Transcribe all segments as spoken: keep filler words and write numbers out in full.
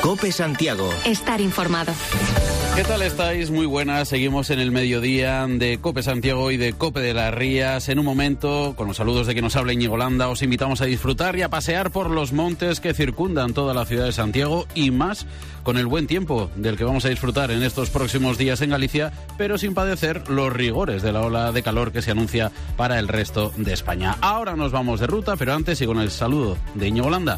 COPE Santiago. Estar informado. ¿Qué tal estáis? Muy buenas. Seguimos en el mediodía de COPE Santiago y de COPE de las Rías. En un momento, con los saludos de que nos habla Íñigo Landa, os invitamos a disfrutar y a pasear por los montes que circundan toda la ciudad de Santiago y más con el buen tiempo del que vamos a disfrutar en estos próximos días en Galicia, pero sin padecer los rigores de la ola de calor que se anuncia para el resto de España. Ahora nos vamos de ruta, pero antes y con el saludo de Íñigo Landa.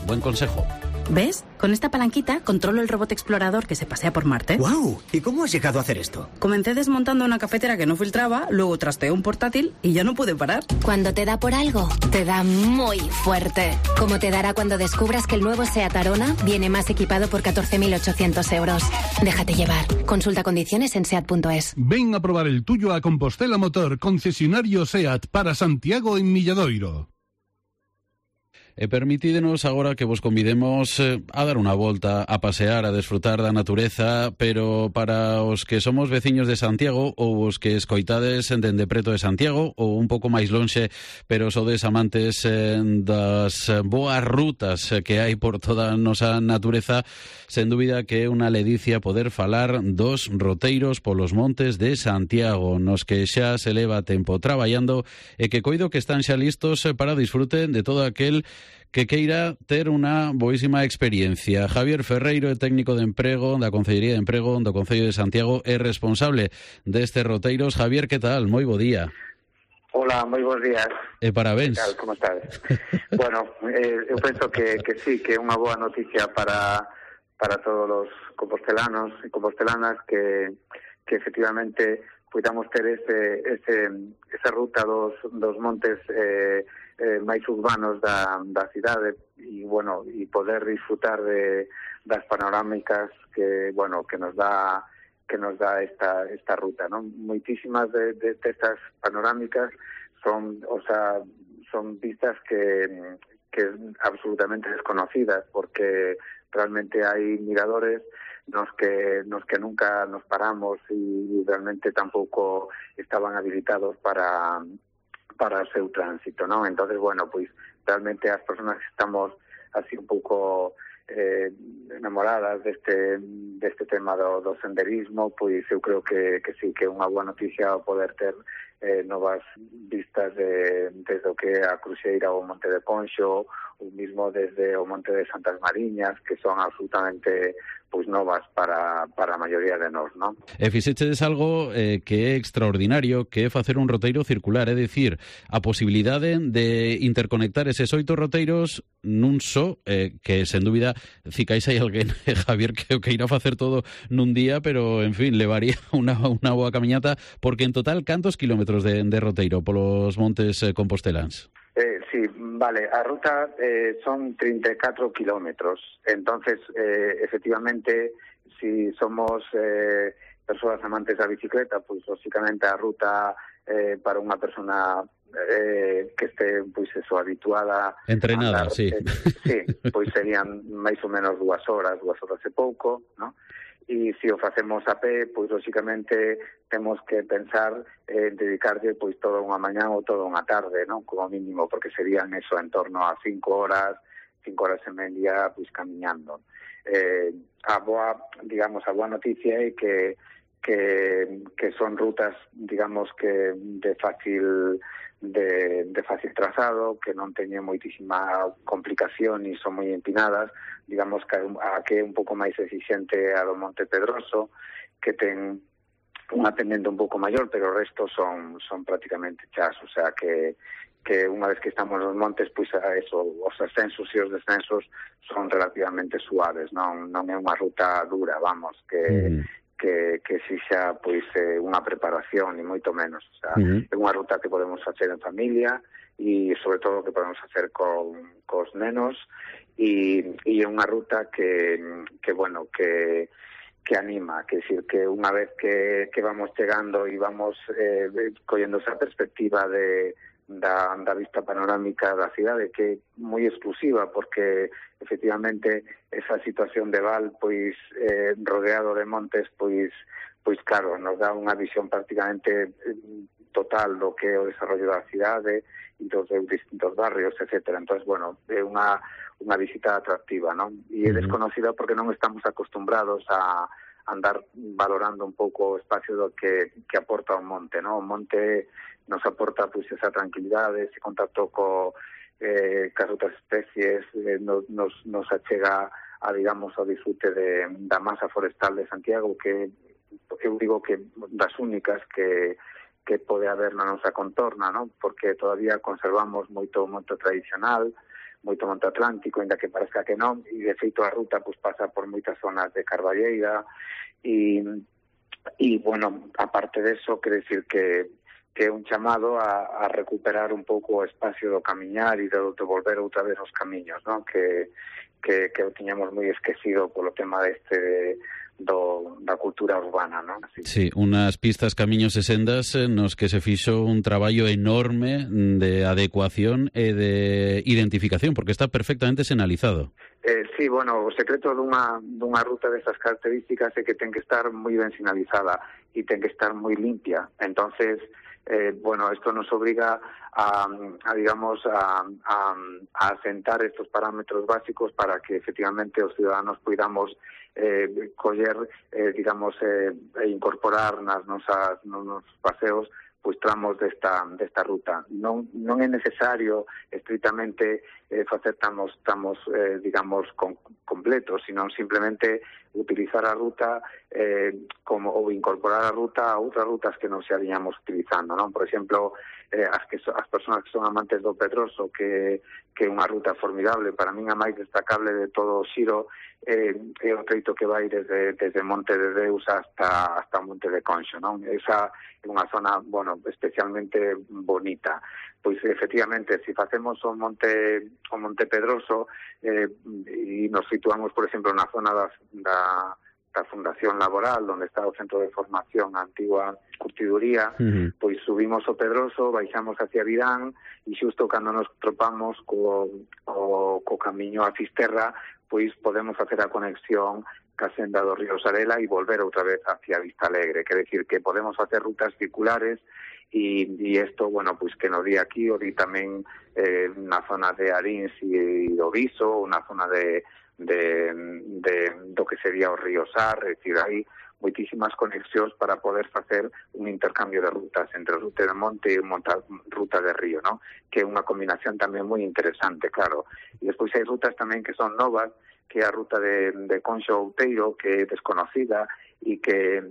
Buen consejo. ¿Ves? Con esta palanquita controlo el robot explorador que se pasea por Marte. ¡Guau! ¿Y cómo has llegado a hacer esto? Comencé desmontando una cafetera que no filtraba, luego trasteé un portátil y ya no pude parar. Cuando te da por algo, te da muy fuerte. Como te dará cuando descubras que el nuevo SEAT Arona viene más equipado por catorce mil ochocientos euros. Déjate llevar. Consulta condiciones en seat punto es. Ven a probar el tuyo a Compostela Motor, concesionario SEAT para Santiago en Milladoiro. E permitídenos agora que vos convidemos eh, a dar unha volta, a pasear, a desfrutar da natureza, pero para os que somos veciños de Santiago ou os que escoitades dende preto de Santiago ou un pouco máis lonxe, pero sodes amantes eh, das boas rutas que hai por toda a nosa natureza, sen dúbida que é unha ledicia poder falar dos roteiros polos montes de Santiago, nos que xa se leva tempo traballando e que coido que están xa listos para disfrute de todo aquel que queira ter unha boísima experiencia. Javier Ferreiro é técnico de emprego da Concellería de Emprego do Concello de Santiago, é responsable destes roteiros. Javier, que tal? Moi bo día. Hola, moi bons días. E parabéns. Que tal, como estades? Bueno, eh, eu penso que, que sí, que é unha boa noticia para para todos os compostelanos e compostelanas que, que efectivamente podamos ter ese, ese, esa ruta dos, dos montes eh, eh, máis urbanos da, da cidade e, bueno, e poder disfrutar de, das panorámicas que, bueno, que nos dá que nos dá esta, esta ruta, ¿no? Moitísimas de, de, de estas panorámicas son, o sea, son vistas que, que absolutamente desconocidas, porque realmente hai miradores nos que nos que nunca nos paramos e realmente tampouco estaban habilitados para para o seu tránsito, ¿no? Entonces, bueno, pois realmente as persoas que estamos así un pouco eh, enamoradas deste deste tema do, do senderismo, pois eu creo que, que sí, que é unha boa noticia poder ter eh, novas vistas de, desde o que é a Cruxeira ou o Monte de Ponxo, ou mismo desde o Monte de Santas Mariñas, que son absolutamente pois novas para, para a maioría de nós, non? E fixechedes algo eh, que é extraordinario, que é facer un roteiro circular, é dicir, a posibilidade de interconectar eses oito roteiros nun só, eh, que sen dúbida, cicais hai alguén, eh, Javier, que o que irá facer todo nun día, pero, en fin, levaría unha, unha boa camiñata, porque en total, cantos kilómetros de, de roteiro polos montes eh, compostelans? Eh, sí, vale, a ruta eh, son treinta y cuatro kilómetros, entonces eh, efectivamente si somos eh, persoas amantes da bicicleta, pois lógicamente a ruta eh, para unha persona eh, que este pois eso habituada entrenada, andar, sí. Eh, sí, pois serían máis ou menos dúas horas, dúas horas e pouco, ¿no? E se o facemos a pé, pois lógicamente temos que pensar en eh, dedicarlle pois toda unha mañá ou toda unha tarde, non? Como mínimo, porque serían eso en torno a cinco horas, cinco horas e media, pois camiñando. Eh, a boa, digamos, a boa noticia é que que que son rutas, digamos, que de fácil de, de fácil trazado, que non teñen moitísima complicación e son moi empinadas, digamos que a que é un pouco máis exigente a do Monte Pedroso, que ten unha pendiente un pouco maior, pero o resto son son prácticamente chas, o sea que que unha vez que estamos nos montes, pois a eso, os ascensos e os descensos son relativamente suaves, non non é unha ruta dura, vamos, que mm. que, que exixa pois eh, unha preparación e moito menos, o sea, uh-huh. é unha ruta que podemos facer en familia e sobre todo que podemos facer con cos nenos e, e é unha ruta que, que bueno, que que anima, que decir que unha vez que, que vamos chegando e vamos eh, collendo esa perspectiva de da, da vista panorámica da cidade, que é moi exclusiva, porque efectivamente esa situación de val, pois eh, rodeado de montes, pois pois claro, nos dá unha visión prácticamente total do que é o desarrollo da cidade e dos distintos barrios, etcétera. Entonces, bueno, é unha unha visita atractiva, non? E é desconocida porque non estamos acostumbrados a andar valorando un pouco o espacio do que, que aporta o monte, non? O monte nos aporta pois esa tranquilidade, ese contacto co, eh, cas outras especies, eh, nos, nos, nos achega a, digamos, ao disfrute de, da masa forestal de Santiago, que eu digo que das únicas que que pode haber na nosa contorna, non? Porque todavía conservamos moito monte tradicional, moito monte atlántico, ainda que parezca que non, e de feito a ruta pues, pasa por moitas zonas de carballeira, e, e bueno, aparte de eso, quere decir que que é un chamado a, a recuperar un pouco o espacio do camiñar e de, de volver outra vez aos camiños, non? Que, que, que o tiñamos moi esquecido polo tema deste de, do, da cultura urbana, non? Así. Sí, unas pistas, camiños e sendas nos que se fixo un traballo enorme de adecuación e de identificación, porque está perfectamente sinalizado. Eh, sí, bueno, o secreto dunha, dunha ruta desas características é que ten que estar moi ben sinalizada e ten que estar moi limpia. Entonces, eh, bueno, esto nos obliga a, a digamos, a, a, a asentar estos parámetros básicos para que efectivamente os ciudadanos podamos eh, coller, eh, digamos, eh, e incorporar nas nosas, nos paseos pois tramos desta desta ruta. Non non é necesario estritamente eh, facer tramos, tramos eh, digamos, con, completos, sino simplemente utilizar a ruta eh, como ou incorporar a ruta a outras rutas que non se habíamos utilizando, non? Por exemplo, eh, as que so, as persoas que son amantes do Pedroso, que que é unha ruta formidable, para min a máis destacable de todo o xiro eh, é o treito que vai desde desde Monte de Deus hasta hasta Monte de Conxo, non? Esa é unha zona, bueno, especialmente bonita. Pois efectivamente, se si facemos o Monte o Monte Pedroso eh, e nos situamos, por exemplo, na zona da, da da Fundación Laboral, onde está o Centro de Formación, a antigua curtiduría, uh-huh. pois subimos o Pedroso, baixamos hacia Virán, e xusto cando nos tropamos co, co, co camiño a Fisterra, pois podemos facer a conexión ca senda do Río Sarela e volver outra vez hacia Vista Alegre. Quer decir que podemos facer rutas circulares e, e isto, bueno, pois que nos di aquí, o di tamén eh, na zona de Arins e do Viso, ou na zona de De, de do que sería o río Sar, é dicir, hai moitísimas conexións para poder facer un intercambio de rutas entre ruta de monte e monta, ruta de río, ¿no? Que é unha combinación tamén moi interesante, claro. E despois hai rutas tamén que son novas, que é a ruta de, de Conxo Outeiro, que é desconocida e que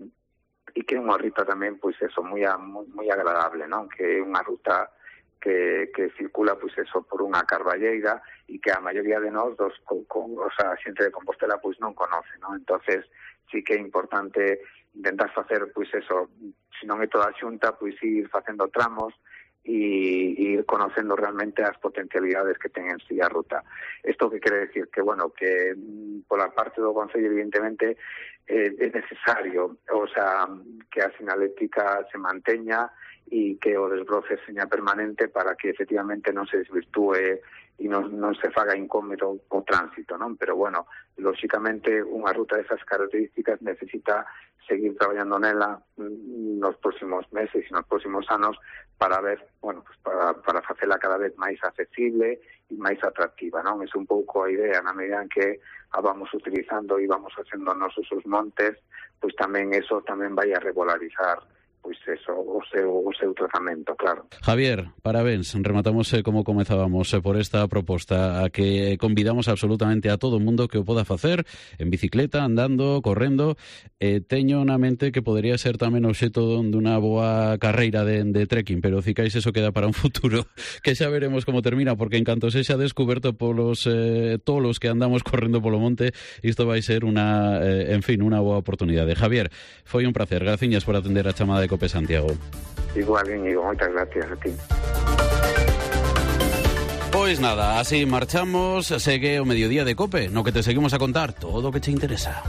e que é unha ruta tamén, pois eso, moi, moi, moi agradable, ¿no? Que é unha ruta que, que circula, pois eso, por unha carballeira e que a maioría de nós, dos, con, con, o sea, a xente de Compostela, pois non conoce, non? Entonces, sí que é importante intentar facer, pois eso, se non é toda a xunta, pois ir facendo tramos e ir conocendo realmente as potencialidades que ten en sí a ruta. Isto que quere decir que, bueno, que pola parte do Concello, evidentemente, eh, é necesario, o sea, que a sinalética se manteña e que o desbroce seña permanente para que efectivamente non se desvirtúe e non, non se faga incómodo o tránsito, non? Pero, bueno, lóxicamente, unha ruta desas características necesita seguir traballando nela nos próximos meses e nos próximos anos para ver, bueno, pues para, para facela cada vez máis accesible e máis atractiva, non? É un pouco a idea, na medida en que a vamos utilizando e vamos facendo nos usos montes, pois tamén eso tamén vai a regularizar pois eso, o seu, o seu tratamento, claro. Javier, parabéns, rematamos eh, como comezábamos eh, por esta proposta a que convidamos absolutamente a todo o mundo que o poda facer en bicicleta, andando, correndo. Eh, teño na mente que podería ser tamén obxeto dunha boa carreira de, de trekking, pero cicais eso queda para un futuro, que xa veremos como termina, porque en canto sexa descuberto polos eh, todos os que andamos correndo polo monte, isto vai ser unha, eh, en fin, unha boa oportunidade. Javier, foi un placer, graciñas por atender a chamada de Cope Santiago. Igual, Íñigo, moitas gracias a ti. Pois nada, así marchamos, segue o mediodía de Cope, no que te seguimos a contar todo o que te interesa.